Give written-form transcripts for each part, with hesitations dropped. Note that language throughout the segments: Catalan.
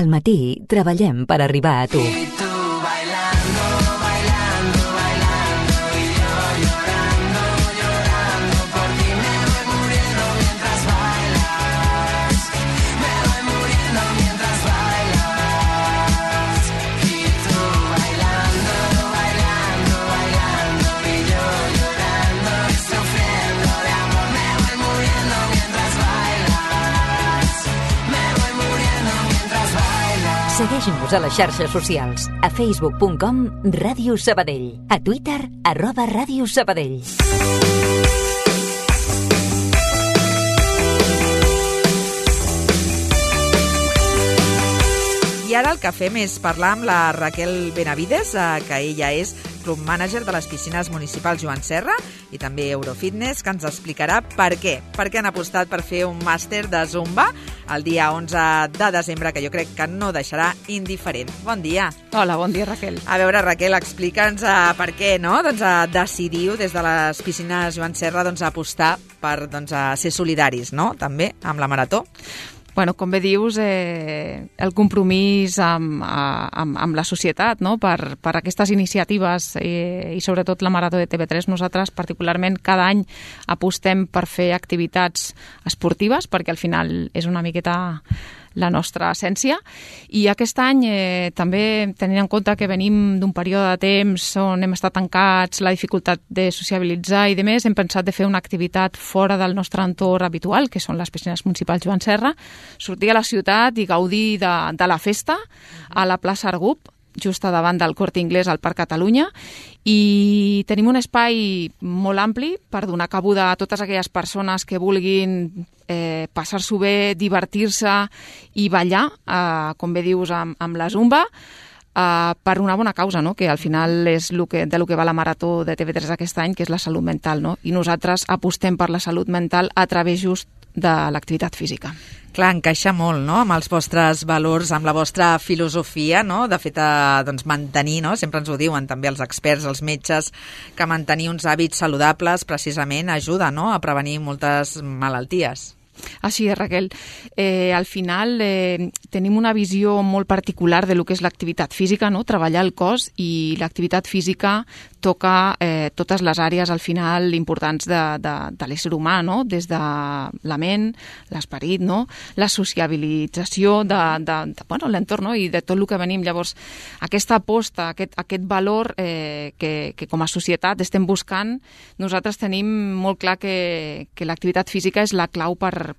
Al matí treballem per arribar a tu. Segueix-nos a les xarxes socials, a facebook.com Ràdio Sabadell, a Twitter @Ràdio Sabadell. I ara el que fem és parlar amb la Raquel Benavides, que ella és club manager de les piscines municipals Joan Serra i també Eurofitness, que ens explicarà per què han apostat per fer un màster de Zumba el dia 11 de desembre, que jo crec que no deixarà indiferent. Bon dia. Hola, bon dia, Raquel. A veure, Raquel, explica'ns per què decidiu des de les piscines Joan Serra apostar per ser solidaris, no?, també amb la marató. Bueno, com bé dius, el compromís amb la societat, no?, per aquestes iniciatives i sobretot la Marató de TV3, nosaltres particularment cada any apostem per fer activitats esportives, perquè al final és una miqueta la nostra essència, i aquest any també tenint en compte que venim d'un període de temps on hem estat tancats, la dificultat de sociabilitzar i demés, hem pensat de fer una activitat fora del nostre entorn habitual, que són les piscines municipals Joan Serra, sortir a la ciutat i gaudir de la festa a la plaça Argup, just a davant del Corte Inglés al Parc Catalunya, i tenim un espai molt ampli per donar cabuda a totes aquelles persones que vulguin passar-s'ho bé, divertir-se i ballar, com bé dius, amb la Zumba, per una bona causa, no?, que al final és de lo que va la Marató de TV3 aquest any, que és la salut mental, no?, i nosaltres apostem per la salut mental a través just de l'activitat física. Clar, encaixa molt, no?, amb els vostres valors, amb la vostra filosofia, no?, de fet, mantenir, no?, sempre ens ho diuen també els experts, els metges, que mantenir uns hàbits saludables precisament ajuda, no?, a prevenir moltes malalties. Així és, Raquel. Al final tenim una visió molt particular de lo que és l'activitat física, no?, treballar el cos, i l'activitat física toca totes les àrees al final importants de l'ésser humà, no?, des de la ment, l'esperit, no?, la sociabilització de l'entorn, no?, i de tot el que venim. Llavors, aquesta aposta, aquest valor que com a societat estem buscant, nosaltres tenim molt clar que l'activitat física és la clau per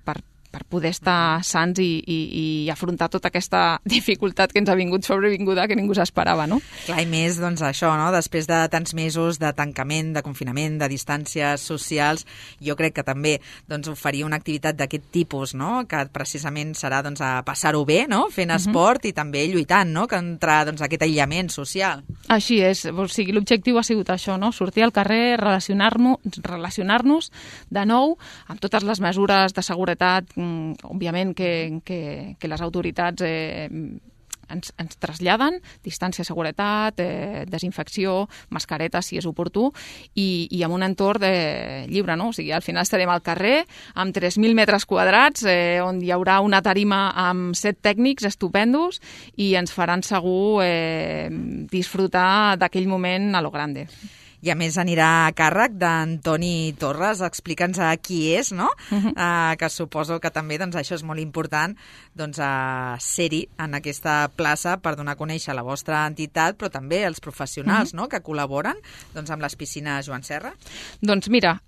poder estar sants i afrontar tota aquesta dificultat que ens ha vingut sobrevinguda, que ningú s'esperava, no? Clar, i més, això, no?, després de tants mesos de tancament, de confinament, de distàncies socials, jo crec que també oferir una activitat d'aquest tipus, no?, que precisament serà a passar-ho bé, no?, fent esport i també lluitant, no?, contra aquest aïllament social. Així és, o sigui, l'objectiu ha sigut això, no?, sortir al carrer, relacionar-nos de nou amb totes les mesures de seguretat, òbviament que les autoritats ens traslladen, distància, seguretat, desinfecció, mascaretes si és oportú, i amb un entorn lliure, no? O sigui, al final estarem al carrer amb 3.000 metres quadrats, on hi haurà una tarima amb 7 tècnics estupendos i ens faran segur disfrutar d'aquell moment a lo grande. I a més anirà a càrrec d'Antoni Torres. Explica'ns qui és, no? Que suposo que també això és molt important, ser-hi en aquesta plaça per donar a conèixer la vostra entitat, però també els professionals, no?, que col·laboren amb les piscines Joan Serra. Doncs mira,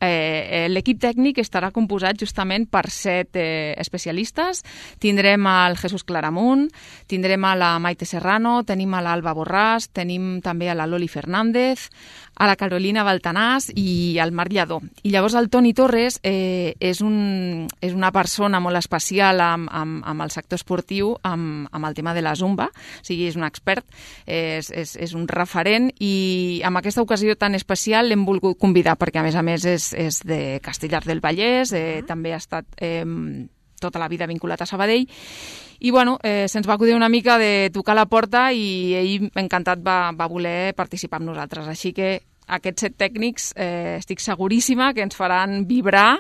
l'equip tècnic estarà composat justament per 7 especialistes. Tindrem el Jesús Claramunt, tindrem a la Maite Serrano, tenim a l'Alba Borràs, tenim també a la Loli Fernández, a la Carolina Baltanàs i al Marc Lladó. I llavors el Toni Torres és una persona molt especial amb el sector esportiu, amb el tema de la Zumba, o sigui, és un expert, és un referent, i amb aquesta ocasió tan especial l'hem volgut convidar perquè a més és de Castellar del Vallès, també ha estat tota la vida vinculat a Sabadell, i bueno, se'ns va acudir una mica de tocar la porta i ell encantat va voler participar amb nosaltres, així que aquests 7 tècnics estic seguríssima que ens faran vibrar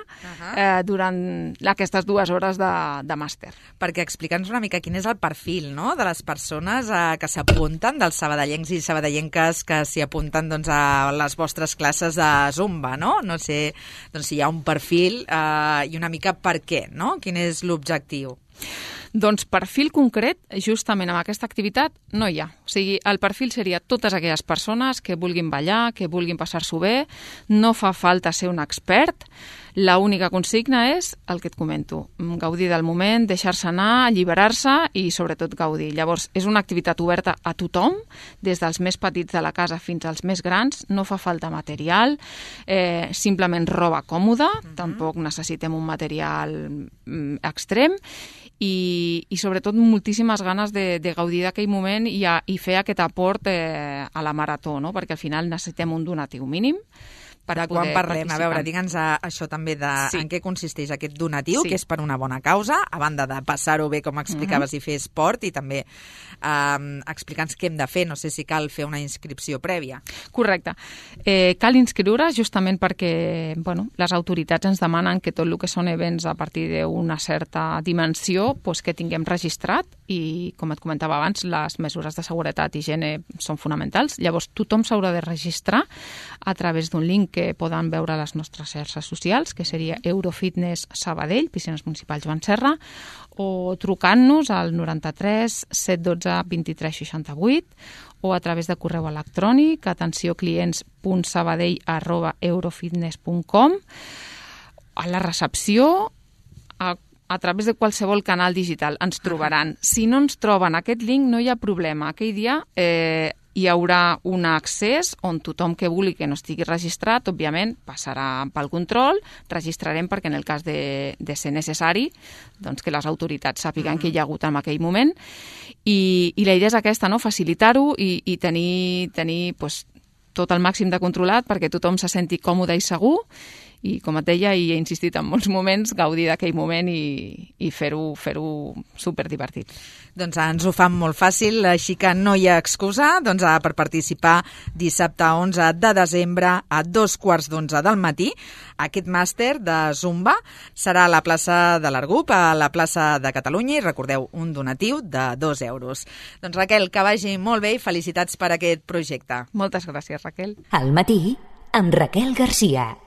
durant aquestes 2 hores de màster. Perquè explica'ns una mica quin és el perfil, no?, de les persones que s'apunten, dels sabadellencs i sabadellenques que s'hi apunten doncs, a les vostres classes de Zumba, no? No sé doncs, si hi ha un perfil i una mica per què, no? Quin és l'objectiu? Doncs perfil concret, justament amb aquesta activitat, no hi ha. O sigui, el perfil seria totes aquelles persones que vulguin ballar, que vulguin passar-s'ho bé, no fa falta ser un expert, l'única consigna és el que et comento, gaudir del moment, deixar-se anar, alliberar-se i sobretot gaudir. Llavors, és una activitat oberta a tothom, des dels més petits de la casa fins als més grans, no fa falta material, simplement roba còmoda, tampoc necessitem un material extrem, i sobretot moltíssimes ganes de gaudir d'aquell moment i fer aquest aport a la marató, no? Perquè al final necessitem un donatiu mínim per de quan parlem? A veure, digue'ns això també de en què consisteix aquest donatiu, que és per una bona causa, a banda de passar-ho bé, com explicaves, i fer esport, i també explica'ns què hem de fer. No sé si cal fer una inscripció prèvia. Correcte. Cal inscriure justament perquè les autoritats ens demanen que tot el que són events a partir d'una certa dimensió que tinguem registrat i, com et comentava abans, les mesures de seguretat i higiene són fonamentals. Llavors, tothom s'haurà de registrar a través d'un link que poden veure a les nostres xarxes socials, que seria Eurofitness Sabadell, Piscines Municipals Joan Serra, o trucant-nos al 93 712 23 68 o a través de correu electrònic atencioclients.sabadell@eurofitness.com, a la recepció, a través de qualsevol canal digital ens trobaran. Si no ens troben aquest link, no hi ha problema. Aquell dia hi haurà un accés on tothom que vulgui que no estigui registrat, òbviament, passarà pel control, registrarem perquè en el cas de ser necessari, doncs que les autoritats sàpiguen que hi ha hagut en aquell moment. I la idea és aquesta, no? Facilitar-ho i tenir tot el màxim de controlat perquè tothom se senti còmode i segur. I, com et deia, i he insistit en molts moments, gaudir d'aquell moment i fer-ho superdivertit. Doncs ens ho fan molt fàcil, així que no hi ha excusa per participar dissabte 11 de desembre a 2:15 del matí. Aquest màster de Zumba serà a la plaça de l'Argup, a la plaça de Catalunya, i recordeu, un donatiu de 2 euros. Doncs Raquel, que vagi molt bé i felicitats per aquest projecte. Moltes gràcies, Raquel. Al matí, amb Raquel Garcia.